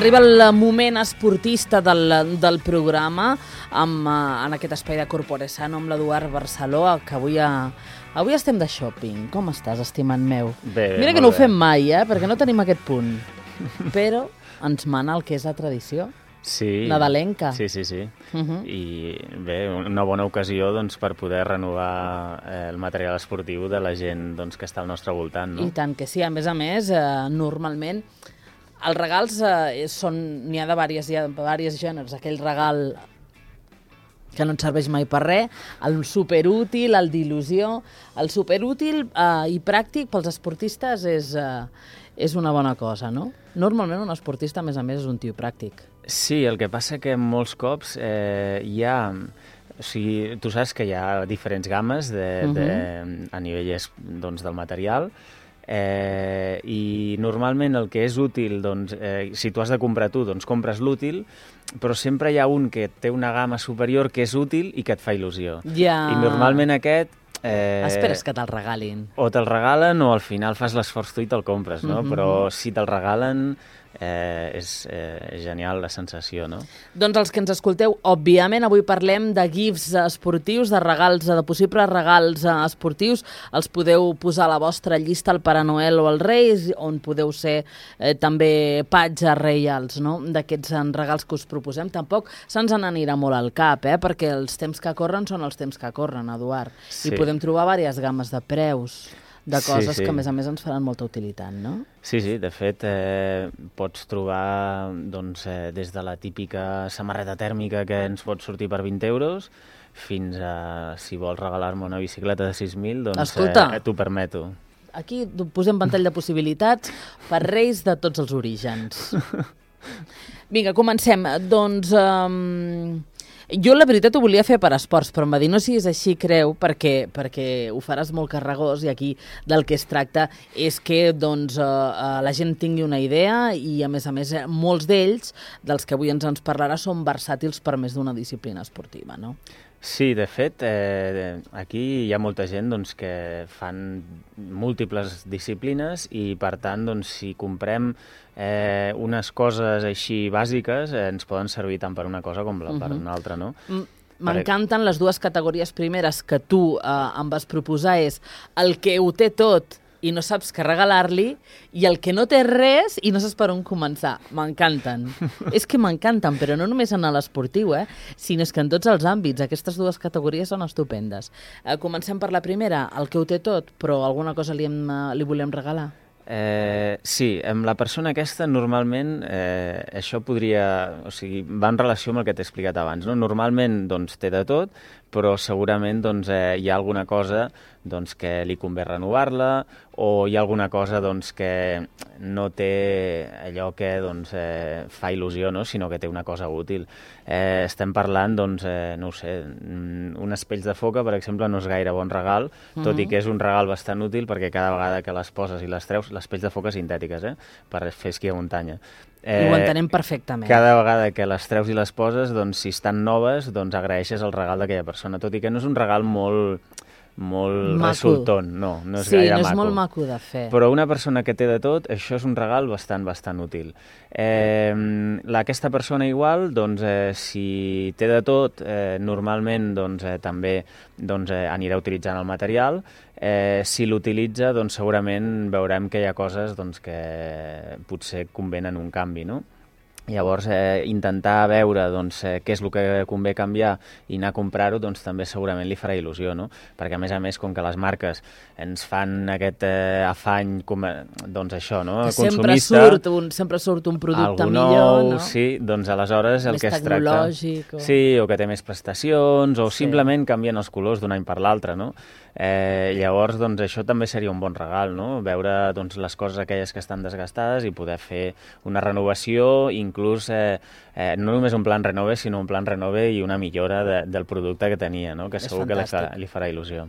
Arriba el moment esportista del programa en aquest espai de Corpore Sano amb l'Eduard Barceló, que avui estem de shopping. Com estàs, estimat meu? Bé, mira que no ho fem mai, perquè no tenim aquest punt. Però ens mana el que és la tradició. Sí. Nadalenca. Sí. I bé, una bona ocasió doncs, per poder renovar el material esportiu de la gent doncs, que està al nostre voltant. No? I tant que sí. A més, normalment els regals n'hi ha de diversos gèneres. Aquell regal que no et serveix mai per res, el superútil, el d'il·lusió. El superútil i pràctic pels esportistes és una bona cosa, no? Normalment un esportista, a més, és un tio pràctic. Sí, el que passa que molts cops hi ha... O sigui, tu saps que hi ha diferents gammes a nivell doncs, del material, i normalment el que és útil, doncs, si tu has de comprar tu, doncs compres l'útil, però sempre hi ha un que té una gamma superior que és útil i que et fa il·lusió. Ja. I normalment aquest... Esperes que te'l regalin. O te'l regalen o al final fas l'esforç tu i te'l compres, no? Però si te'l regalen és genial la sensació, no? Doncs els que ens escolteu, òbviament avui parlem de gifs esportius, de regals, de possibles regals esportius. Els podeu posar a la vostra llista al Pare Noel o als Reis, on podeu ser també patges reials, no? D'aquests regals que us proposem. Tampoc se'ns n'anirà molt al cap, perquè els temps que corren són els temps que corren, Eduard. Sí. I podem trobar diverses gammes de preus de coses que, a més ens faran molta utilitat, no? Sí, de fet, pots trobar doncs, des de la típica samarreta tèrmica que ens pot sortir per 20 euros fins a, si vols regalar-me una bicicleta de 6.000, doncs t'ho permeto. Aquí posem ventall de possibilitats per reis de tots els orígens. Vinga, comencem. Doncs... jo, la veritat, ho volia fer per esports, però em va dir no siguis així, creu, perquè ho faràs molt carregós i aquí del que es tracta és que doncs, la gent tingui una idea i, a més, molts d'ells, dels que avui ens parlarà, són versàtils per més d'una disciplina esportiva, no? Sí, de fet, aquí hi ha molta gent doncs, que fan múltiples disciplines i, per tant, doncs, si comprem unes coses així bàsiques, ens poden servir tant per una cosa com per una altra, no? M'encanten les dues categories primeres que tu em vas proposar, és el que ho té tot i no saps què regalar-li, i el que no té res i no saps per on començar. M'encanten. És que m'encanten, però no només en l'esportiu, sinó que en tots els àmbits. Aquestes dues categories són estupendes. Comencem per la primera, el que ho té tot, però alguna cosa li volem regalar. Sí, amb la persona aquesta normalment això podria... O sigui, va en relació amb el que t'he explicat abans, no? Normalment doncs, té de tot, però segurament doncs, hi ha alguna cosa doncs, que li convé renovar-la, o hi ha alguna cosa doncs, que no té allò que doncs, fa il·lusió, no? Sinó que té una cosa útil. Estem parlant, doncs, no ho sé, uns pells de foca, per exemple, no és gaire bon regal, tot i que és un regal bastant útil perquè cada vegada que les poses i les treus, les pells de foca sintètiques, per fer esquí a muntanya. I ho entenem perfectament. Cada vegada que les treus i les poses, doncs, si estan noves, doncs agraeixes el regal d'aquella persona, tot i que no és un regal molt resultón, no és gaire maco. Sí, no és molt maco de fer. Però una persona que té de tot, això és un regal bastant útil. Aquesta persona igual, doncs, si té de tot, normalment doncs, també doncs, anirà utilitzant el material. Si l'utilitza, doncs, segurament veurem que hi ha coses doncs, que potser convenen un canvi, no? Llavors, intentar veure doncs, què és el que convé canviar i anar a comprar-ho, doncs, també segurament li farà il·lusió, no? Perquè, a més, com que les marques ens fan aquest afany, doncs això, no? Consumista... Sempre surt un producte millor, no? Sí, doncs aleshores el que es tracta... Més tecnològic. Sí, o que té més prestacions, o simplement canvien els colors d'un any per l'altre, no? Llavors, doncs, això també seria un bon regal, no? Veure doncs, les coses aquelles que estan desgastades i poder fer una renovació, inclús no només un plan renove, sinó un plan renove i una millora del producte que tenia, no? Que segur que li farà il·lusió.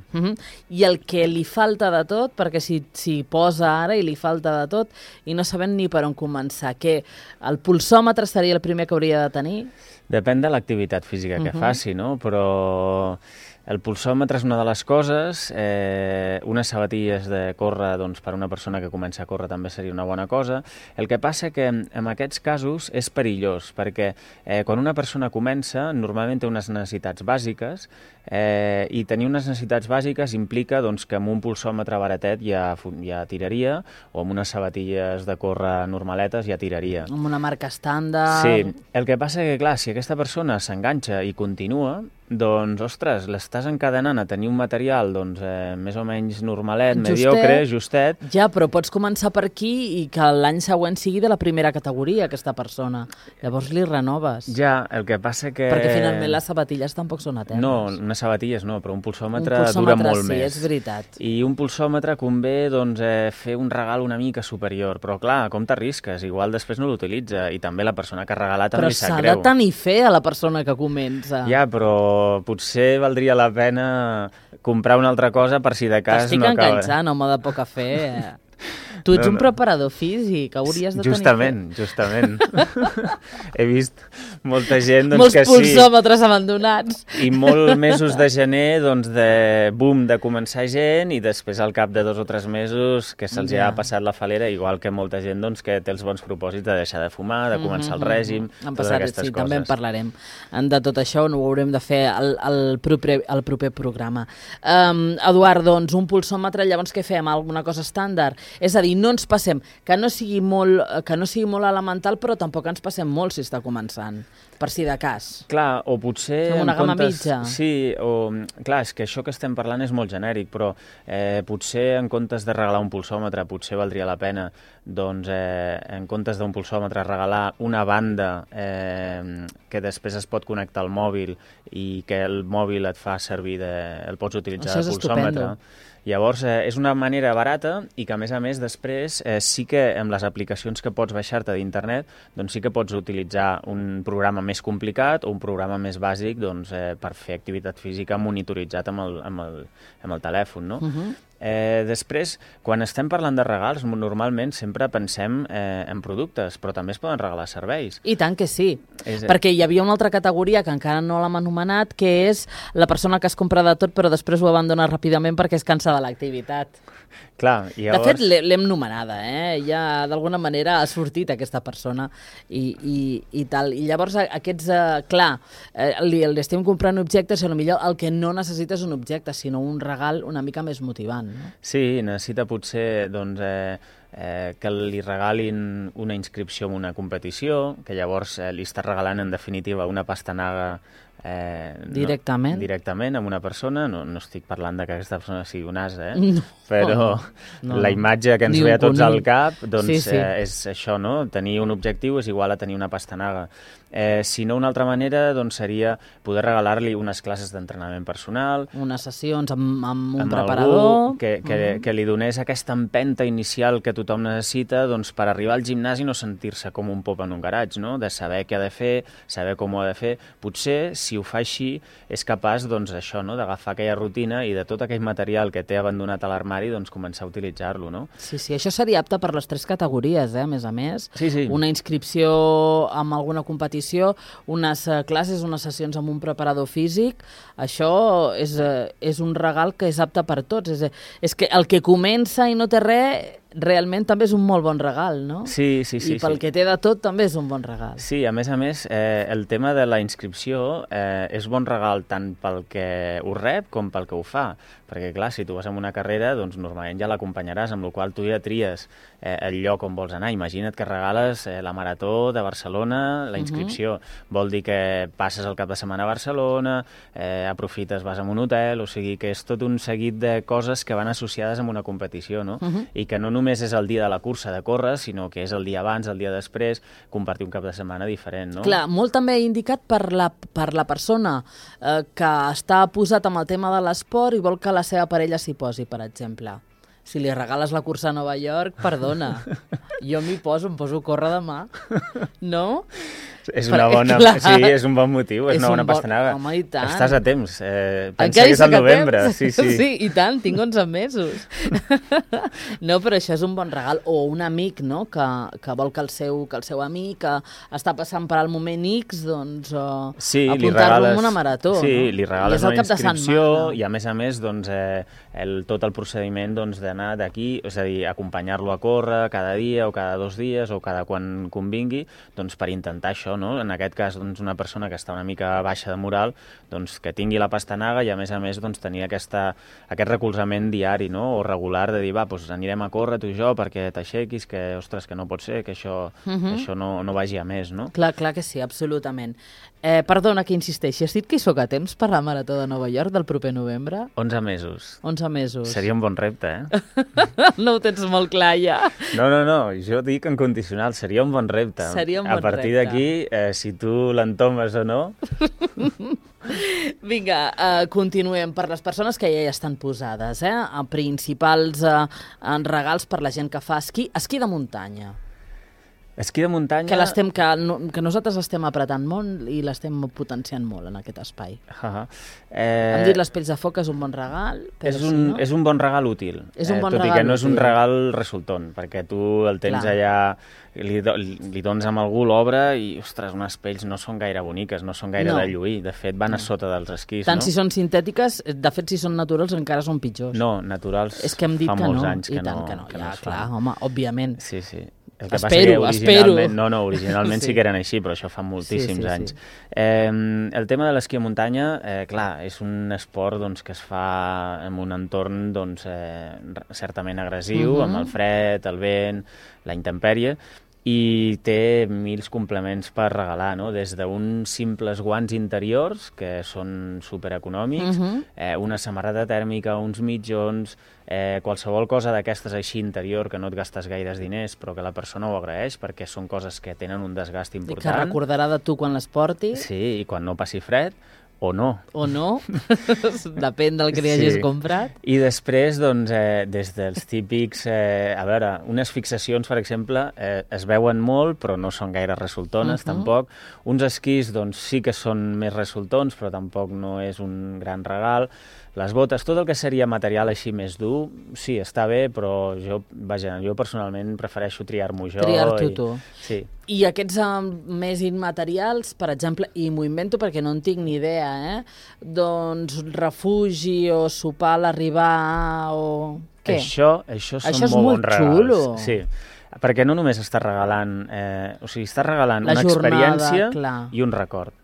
I el que li falta de tot, perquè si posa ara i li falta de tot i no sabem ni per on començar, que el pulsòmetre seria el primer que hauria de tenir? Depèn de l'activitat física que faci, no? Però el pulsòmetre és una de les coses, unes sabatilles de córrer doncs, per una persona que comença a córrer també seria una bona cosa. El que passa que en aquests casos és perillós, perquè quan una persona comença normalment té unes necessitats bàsiques i tenir unes necessitats bàsiques implica doncs, que amb un pulsòmetre baratet ja tiraria, o amb unes sabatilles de córrer normaletes ja tiraria. Amb una marca estàndard... Sí, el que passa que, clar, si aquesta persona s'enganxa i continua, doncs, ostres, l'estàs encadenant a tenir un material doncs, més o menys normalet, mediocre, justet... Ja, però pots començar per aquí i que l'any següent sigui de la primera categoria, aquesta persona. Llavors li renoves. Ja, el que passa que... Perquè finalment les sabatilles tampoc són eternes. No, unes sabatilles no, però un pulsòmetre dura molt més. Sí, és veritat. I un pulsòmetre convé doncs, fer un regal una mica superior, però clar, com t'arrisques? Igual després no l'utilitza i també la persona que ha regalat també li sap greu. Però s'ha de tenir fe a la persona que comença. Ja, però potser valdria la pena comprar una altra cosa per si de cas no acaba... T'estic enganxant, home de poca fe. Tu ets un preparador físic, hauries de tenir... Justament. He vist molta gent doncs, molts que sí... Molts pulsòmetres abandonats. I molts mesos de gener, doncs, de boom, de començar gent, i després al cap de 2 o 3 mesos que se'ls ha passat la falera, igual que molta gent doncs, que té els bons propòsits de deixar de fumar, de començar el règim, totes aquestes coses. També en parlarem de tot això, ho haurem de fer al proper programa. Eduard, doncs, un pulsòmetre, llavors què fem? Alguna cosa estàndard? És a dir, no ens passem, que no sigui molt elemental, però tampoc ens passem molt si està començant, per si de cas. Clar, o potser... Fem una gamma mitja. Sí, o... Clar, és que això que estem parlant és molt genèric, però potser en comptes de regalar un pulsòmetre, potser valdria la pena, doncs, en comptes d'un pulsòmetre, regalar una banda que després es pot connectar al mòbil i que el mòbil et fa servir, el pots utilitzar de pulsòmetre. Llavors, és una manera barata i que, a més, després sí que amb les aplicacions que pots baixar-te d'internet, doncs sí que pots utilitzar un programa més complicat o un programa més bàsic doncs, per fer activitat física monitoritzat amb el telèfon, no? Després, quan estem parlant de regals, normalment sempre pensem en productes, però també es poden regalar serveis. I tant que sí, perquè hi havia una altra categoria que encara no l'hem anomenat, que és la persona que es compra de tot però després ho abandona ràpidament perquè es cansa de l'activitat. Clar, i llavors... De fet, l'hem nomenada, ja d'alguna manera ha sortit aquesta persona i tal. I llavors aquests, clar, li estem comprant objectes i potser el que no necessita és un objecte, sinó un regal una mica més motivant. No? Sí, necessita potser doncs, que li regalin una inscripció en una competició, que llavors li està regalant en definitiva una pastanaga directament amb una persona. No estic parlant de que aquesta persona sigui un as, però la imatge que ens ve a tots al cap doncs, és això, no? Tenir un objectiu és igual a tenir una pastanaga. Si no, una altra manera doncs, seria poder regalar-li unes classes d'entrenament personal, unes sessions amb un preparador, que li donés aquesta empenta inicial que tothom necessita doncs, per arribar al gimnàs i no sentir-se com un pop en un garatge, no? De saber què ha de fer, saber com ho ha de fer. Potser, si ho fa així, és capaç doncs, això, no? D'agafar aquella rutina i de tot aquell material que té abandonat a l'armari doncs, començar a utilitzar-lo. No? Sí, això seria apte per les 3 categories, a més a més. Sí. Una inscripció en alguna competició, unes classes, unes sessions amb un preparador físic. Això és un regal que és apte per tots. És que el que comença i no té res... realment també és un molt bon regal, no? Sí. I pel que té de tot també és un bon regal. Sí, a més, el tema de la inscripció és bon regal tant pel que ho rep com pel que ho fa. Perquè, clar, si tu vas a una carrera, doncs normalment ja l'acompanyaràs, amb la qual tu ja tries el lloc on vols anar. Imagina't que regales la Marató de Barcelona, la inscripció. Vol dir que passes el cap de setmana a Barcelona, aprofites, vas a un hotel, o sigui que és tot un seguit de coses que van associades amb una competició, no? I que no només és el dia de la cursa de córrer, sinó que és el dia abans, el dia després, compartir un cap de setmana diferent, no? Clar, molt també indicat per la persona que està posat amb el tema de l'esport i vol que la seva parella s'hi posi, per exemple. Si li regales la cursa a Nova York, perdona, jo em poso a córrer demà, no? És una bona... Sí, és un bon motiu, és una bona pastanaga. Home, i tant. Estàs a temps. Pensa que és al novembre. Sí. Sí, i tant, tinc 11 mesos. No, però això és un bon regal. O un amic, no?, que vol que el seu amic que està passant per al moment X, doncs apuntar-lo en una marató. Sí, li regales una inscripció i a més, doncs, tot el procediment d'anar d'aquí, és a dir, acompanyar-lo a córrer cada dia o cada 2 dies o cada quan convingui, doncs per intentar això, no? En aquest cas, doncs, una persona que està una mica baixa de moral, doncs que tingui la pastanaga i a més, doncs, tenir aquest recolzament diari, no? O regular de dir, doncs anirem a córrer tu i jo perquè t'aixequis, que, ostres, que no pot ser, que això no vagi a més, no? Clar que sí, absolutament. Perdona que insisteixi, has dit que hi soc a temps per la Marató de Nova York del proper novembre? 11 mesos. 11 mesos. Seria un bon repte, No ho tens molt clar, ja. No, jo dic en condicional, seria un bon repte. Seria un bon repte. A partir d'aquí, si tu l'entomes o no... Vinga, continuem. Per les persones que ja hi estan posades, principals regals per la gent que fa esquí de muntanya. Esquí de muntanya... Que nosaltres l'estem apretant molt i l'estem potenciant molt en aquest espai. Hem dit les pells de foc és un bon regal, però és un bon regal útil. És un bon regal útil. Tot i que no és un útil. Regal resultant, perquè tu el tens allà, li dones amb algú l'obra i, ostres, unes pells no són gaire boniques, no són gaire de lluir. De fet, van a sota dels esquís, Tant si són sintètiques, de fet, si són naturals encara són pitjors. No, naturals és que hem dit fa molts anys que no. Ja, clar, home, òbviament. Sí. Espero. Originalment sí que eren així, però això fa moltíssims anys. El tema de l'esquí a muntanya, clar, és un esport doncs, que es fa en un entorn doncs, certament agressiu, amb el fred, el vent, la intempèrie, i té 1000 complements per regalar, no? Des d'uns simples guants interiors, que són supereconòmics, una samarreta tèrmica, uns mitjons, qualsevol cosa d'aquestes així interior que no et gastes gaires diners, però que la persona ho agraeix, perquè són coses que tenen un desgast important. I que recordarà de tu quan les portis. Sí, i quan no passi fred, o no. O no, depèn del que li hagis comprat. I després, doncs, des dels típics... a veure, unes fixacions, per exemple, es veuen molt, però no són gaire resultones, tampoc. Uns esquís, doncs, sí que són més resultons, però tampoc no és un gran regal. Les botes, tot el que seria material així més dur, sí, està bé, però jo personalment prefereixo triar-m'ho jo. Triar-t'ho tu. Sí. I aquests més immaterials, per exemple, i m'ho invento perquè no en tinc ni idea, doncs refugi o sopar a l'arribar o... Què? Això són molt bons regals. Xulo. Sí, perquè no només estàs regalant... estàs regalant una experiència i un record.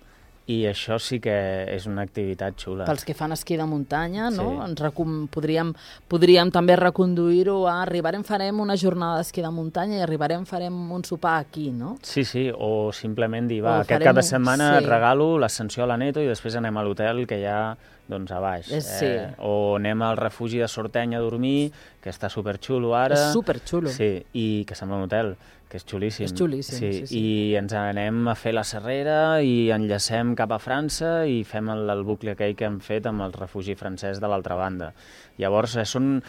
I això sí que és una activitat xula. Pels que fan esquí de muntanya, no? Podríem també reconduir-ho a farem una jornada d'esquí de muntanya i farem un sopar aquí, no? Sí, o simplement dir, aquest cap de setmana et regalo l'ascensió a l'Aneto i després anem a l'hotel que hi ha doncs, a baix. O anem al refugi de Sorteny a dormir, que està superxulo ara. És superxulo. Sí, i que sembla un hotel, que és xulíssim. És xulíssim, sí. I ens anem a fer la Serrera i enllacem cap a França i fem el bucle aquell que hem fet amb el refugi francès de l'altra banda. Llavors, són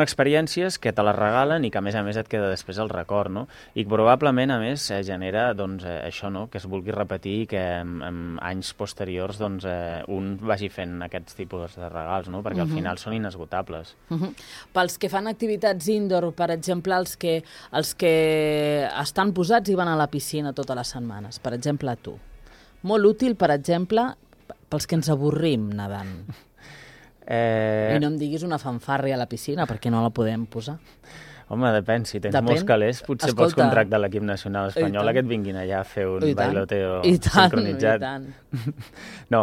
experiències que te les regalen i que, a més et queda després el record, no? I probablement, a més, genera doncs, això, no? Que es vulgui repetir i que en anys posteriors doncs, un vagi fent aquests tipus de regals, no? Perquè al final són inesgotables. Pels que fan activitats indoor, per exemple, els que estan posats i van a la piscina totes les setmanes, per exemple, tu. Molt útil, per exemple, pels que ens avorrim nedant. I no em diguis una fanfàrria a la piscina, perquè no la podem posar. Home, depèn. Si tens molts calés, potser pots contractar l'equip nacional espanyol que et vinguin allà a fer un bailoteo sincronitzat. I tant. No,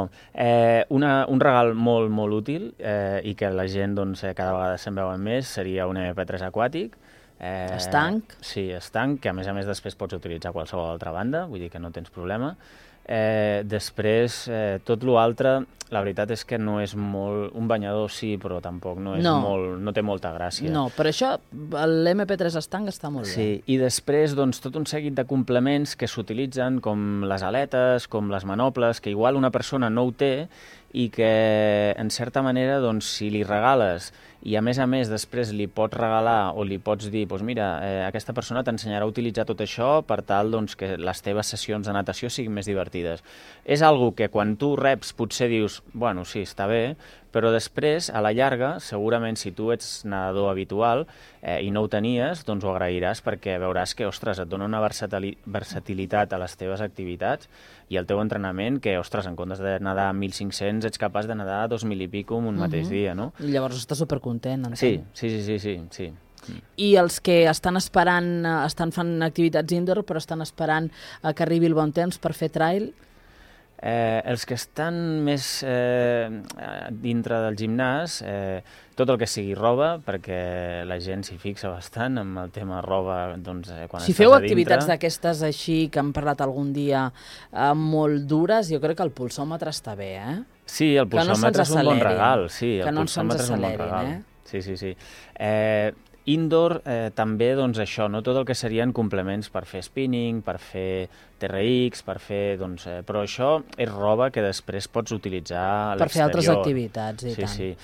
un regal molt, molt útil i que la gent cada vegada se'n veuen més seria un MP3 aquàtic. Estanc? Sí, estanc, que a més després pots utilitzar qualsevol altra banda, vull dir que no tens problema. Després, tot l'altre, la veritat és que no és molt... Un banyador sí, però tampoc no té molta gràcia. No, però això, l'MP3 estanc està molt bé. Sí, i després, doncs, tot un seguit de complements que s'utilitzen, com les aletes, com les manoples, que igual una persona no ho té i que, en certa manera, doncs, si li regales i, a més després li pots regalar o li pots dir, doncs mira, aquesta persona t'ensenyarà a utilitzar tot això per tal doncs, que les teves sessions de natació siguin més divertides. És algo que quan tu reps potser dius, bueno, sí, està bé, però després, a la llarga, segurament si tu ets nedador habitual i no ho tenies, doncs ho agrairàs perquè veuràs que, ostres, et dona una versatilitat a les teves activitats i al teu entrenament que, ostres, en comptes de nedar 1.500 ets capaç de nedar 2.000 i pico en un mateix dia, no? I llavors estàs supercontent, entenc. Sí. I els que estan esperant, estan fent activitats indoor, però estan esperant que arribi el bon temps per fer trail? Els que estan més dintre del gimnàs, tot el que sigui roba, perquè la gent s'hi fixa bastant amb el tema roba, doncs, quan si estàs feu a dintre. activitats d'aquestes així, que hem parlat algun dia, molt dures, jo crec que el pulsòmetre està bé, eh? Sí, el pulsòmetre és un bon regal. Sí, que no ens accelerin, Sí. Indoor també, doncs això, no? Tot el que serien complements per fer spinning, per fer TRX, per fer, doncs, però això és roba que després pots utilitzar a l'exterior. Per fer altres activitats, i tant. Sí.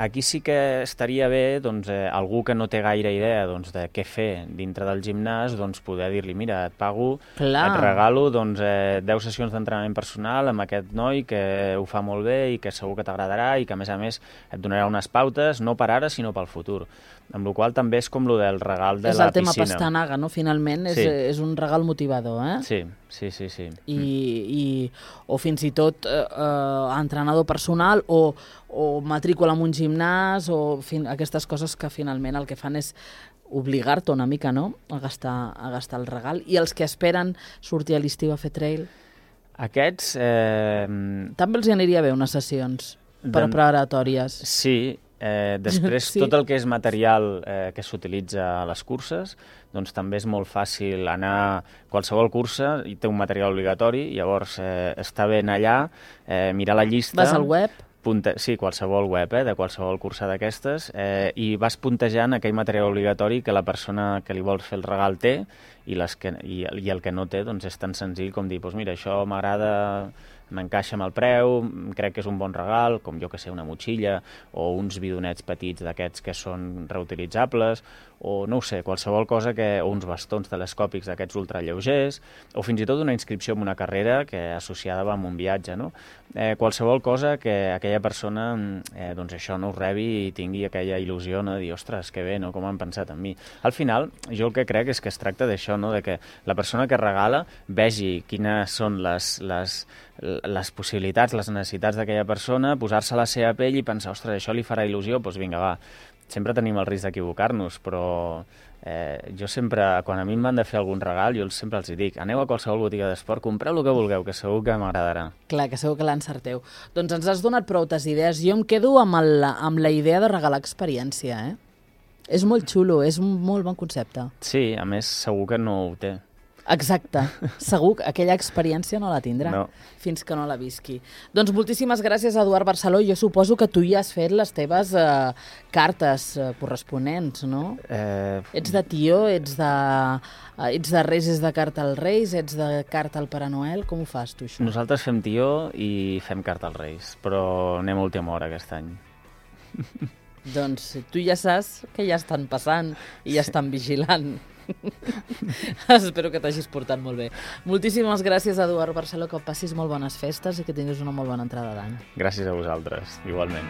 Aquí sí que estaria bé, doncs, algú que no té gaire idea doncs, de què fer dintre del gimnàs, doncs poder dir-li, mira, et pago, et regalo doncs, 10 sessions d'entrenament personal amb aquest noi que ho fa molt bé i que segur que t'agradarà i que, a més, et donarà unes pautes, no per ara, sinó pel futur. Amb la qual cosa també és com lo del regal de la piscina. És el tema pastanaga, no? Finalment és un regal motivador, eh? Sí. O fins i tot entrenador personal o matrícula en un gimnàs o aquestes coses que finalment el que fan és obligar-te una mica, no?, a gastar el regal. I els que esperen sortir a l'estiu a fer trail? Aquests... També els aniria bé unes sessions preparatòries. Sí. Després, tot el que és material que s'utilitza a les curses, doncs també és molt fàcil anar a qualsevol cursa i té un material obligatori, llavors està bé anar allà, mirar la llista... Vas al web? Sí, qualsevol web, de qualsevol cursa d'aquestes, i vas puntejant aquell material obligatori que la persona que li vols fer el regal té i el que no té doncs és tan senzill com dir, doncs mira, això m'agrada, m'encaixa amb el preu, crec que és un bon regal, com jo que sé, una motxilla o uns bidonets petits d'aquests que són reutilitzables, o no ho sé, qualsevol cosa o uns bastons telescòpics d'aquests ultralleugers, o fins i tot una inscripció en una carrera que associada va amb un viatge, no? Qualsevol cosa que aquella persona doncs això no ho rebi i tingui aquella il·lusió, no? De dir, ostres, que bé, no? Com han pensat en mi. Al final, jo el que crec és que es tracta d'això, no? De que la persona que regala vegi quines són les possibilitats, les necessitats d'aquella persona, posar-se a la seva pell i pensar, ostres, això li farà il·lusió, doncs vinga, va. Sempre tenim el risc d'equivocar-nos, però jo sempre, quan a mi em van de fer algun regal, jo sempre els dic, aneu a qualsevol botiga d'esport, compreu el que vulgueu, que segur que m'agradarà. Clar, que segur que l'encerteu. Doncs ens has donat proutes idees. Jo em quedo amb la idea de regalar experiència, eh? És molt xulo, és un molt bon concepte. Sí, a més, segur que no ho té. Exacte. Segur que aquella experiència no la tindrà fins que no la visqui. Doncs moltíssimes gràcies, Eduard Barceló. Jo suposo que tu ja has fet les teves cartes corresponents, no? Ets de tió, ets de Reis, ets de carta als Reis, ets de carta al Pare Noel. Com ho fas, tu, això? Nosaltres fem tió i fem carta als Reis, però anem a última hora aquest any. Doncs tu ja saps que ja estan passant i ja estan vigilant. Espero que t'hagis portat molt bé. Moltíssimes gràcies, Eduard Barceló, que passis molt bones festes i que tinguis una molt bona entrada d'any. Gràcies a vosaltres, igualment.